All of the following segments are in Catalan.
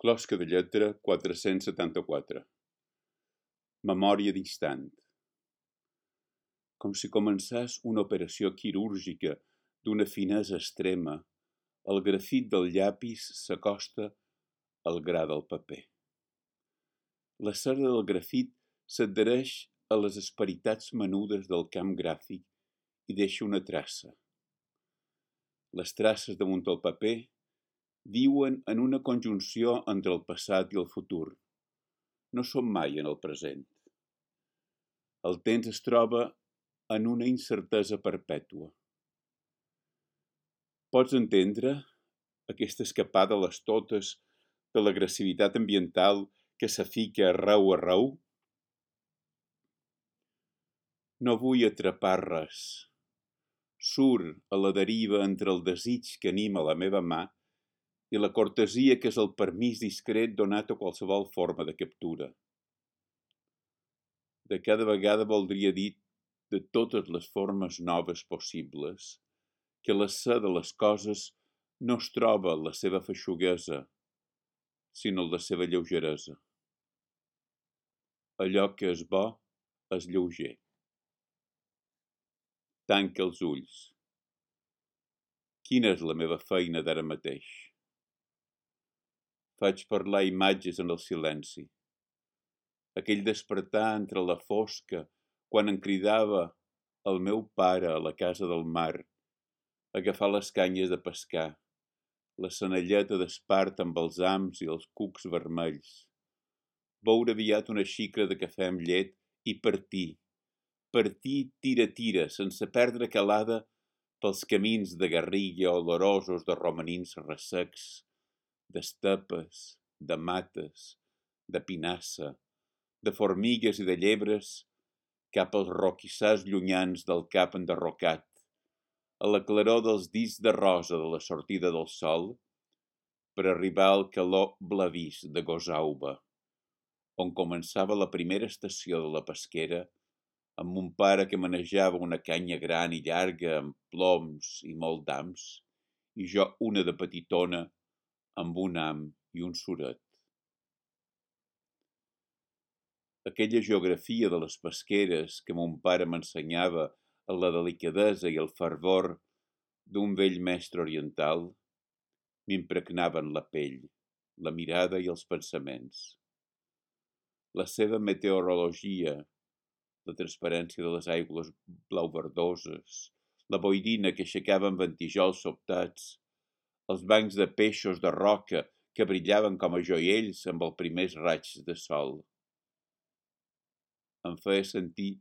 Closca de lletra 474. Memòria d'instant. Com si començés una operació quirúrgica d'una finesa extrema, el grafit del llapis s'acosta al gra del paper. La cera del grafit s'adhereix a les asperitats menudes del camp gràfic i deixa una traça. Les traces damunt el paper viuen en una conjunció entre el passat i el futur. No som mai en el present. El temps es troba en una incertesa perpètua. Pots entendre aquesta escapada a les totes de l'agressivitat ambiental que s'afica arreu? No vull atrapar res. Surt a la deriva entre el desig que anima la meva mà i la cortesia que és el permís discret donat a qualsevol forma de captura. De cada vegada voldria dir de totes les formes noves possibles que la ser de les coses no es troba la seva feixuguesa, sinó la seva lleugeresa. Allò que és bo és lleuger. Tanca els ulls. Quina és la meva feina d'ara mateix? Faig parlar imatges en el silenci. Aquell despertar entre la fosca quan em cridava el meu pare a la casa del mar, agafar les canyes de pescar, la senelleta d'espart amb els hams i els cucs vermells, beure aviat una xicra de cafè amb llet i partir tira, sense perdre calada pels camins de garriga olorosos de romanins ressecs, d'estepes, de mates, de pinassa, de formigues i de llebres, cap als roquissars llunyans del cap enderrocat, a la claror dels discs de rosa de la sortida del sol, per arribar al calor blavís de Gosauba, on començava la primera estació de la pesquera, amb mon pare que manejava una canya gran i llarga amb ploms i molt d'hams, i jo una de petitona amb un ham i un suret. Aquella geografia de les pesqueres que mon pare m'ensenyava a la delicadesa i el fervor d'un vell mestre oriental m'impregnaven la pell, la mirada i els pensaments. La seva meteorologia, la transparència de les aigües blau-verdoses, la boirina que aixecaven ventijols sobtats, els bancs de peixos de roca que brillaven com a joiells amb els primers raigs de sol. Em feia sentir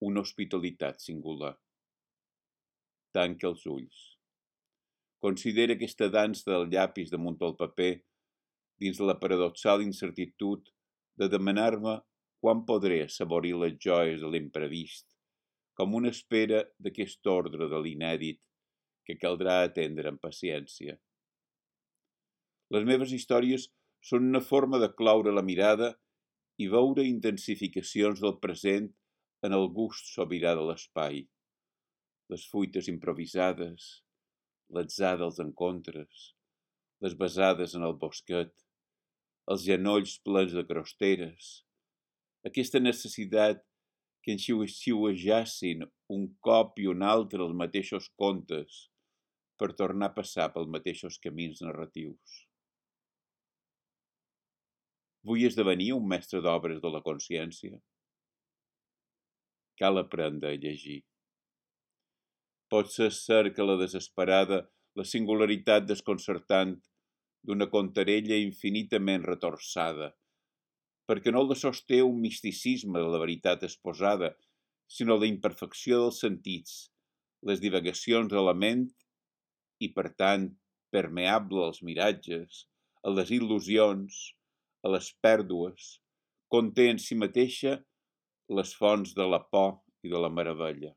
una hospitalitat singular. Tanca els ulls. Considera aquesta dansa del llapis damunt el paper dins la paradoxal incertitud de demanar-me quan podré assaborir les joies de l'imprevist, com una espera d'aquest ordre de l'inèdit que caldrà atendre amb paciència. Les meves històries són una forma de cloure la mirada i veure intensificacions del present en el gust sobirà de l'espai, les fuites improvisades, l'atzar dels encontres, les besades en el bosquet, els genolls plens de crosteres, aquesta necessitat que enxiuejassin un cop i un altre els mateixos contes per tornar a passar pels mateixos camins narratius. Vull esdevenir un mestre d'obres de la consciència? Cal aprendre a llegir. Pot ser que la desesperada, la singularitat desconcertant d'una contarella infinitament retorçada, perquè no la sosté un misticisme de la veritat exposada, sinó la imperfecció dels sentits, les divagacions de la ment i, per tant, permeable als miratges, a les il·lusions, a les pèrdues, conté en si mateixa les fonts de la por i de la meravella.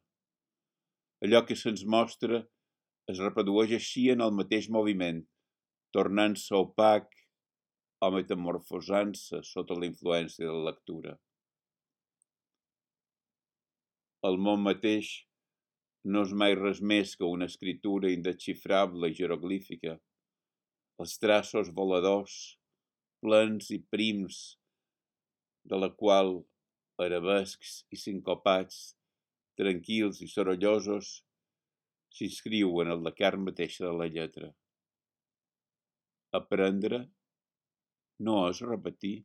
Allò que se'ns mostra es reprodueix així en el mateix moviment, tornant-se opac o metamorfosant-se sota la influència de la lectura. El món mateix no és mai res més que una escritura indesxifrable i jeroglífica. Els traços voladors, plens i prims, de la qual arabescs i sincopats, tranquils i sorollosos, s'inscriuen en la carn mateixa de la lletra. Aprendre no és repetir.